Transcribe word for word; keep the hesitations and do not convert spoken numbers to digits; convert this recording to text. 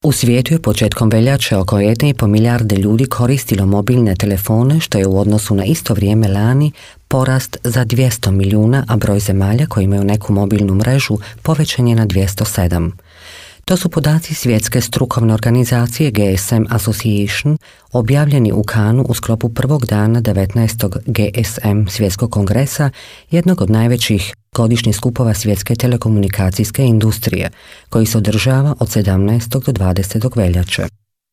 U svijetu je početkom veljače oko jedna i pol milijarde ljudi koristilo mobilne telefone, što je u odnosu na isto vrijeme lani porast za dvjesto milijuna, a broj zemalja koji imaju neku mobilnu mrežu povećan je na dvjesto sedam. To su podaci svjetske strukovne organizacije G S M Association, objavljeni u Cannesu u sklopu prvog dana devetnaestog G S M svjetskog kongresa, jednog od najvećih godišnjih skupova svjetske telekomunikacijske industrije, koji se održava od sedamnaestog do dvadesetog veljače.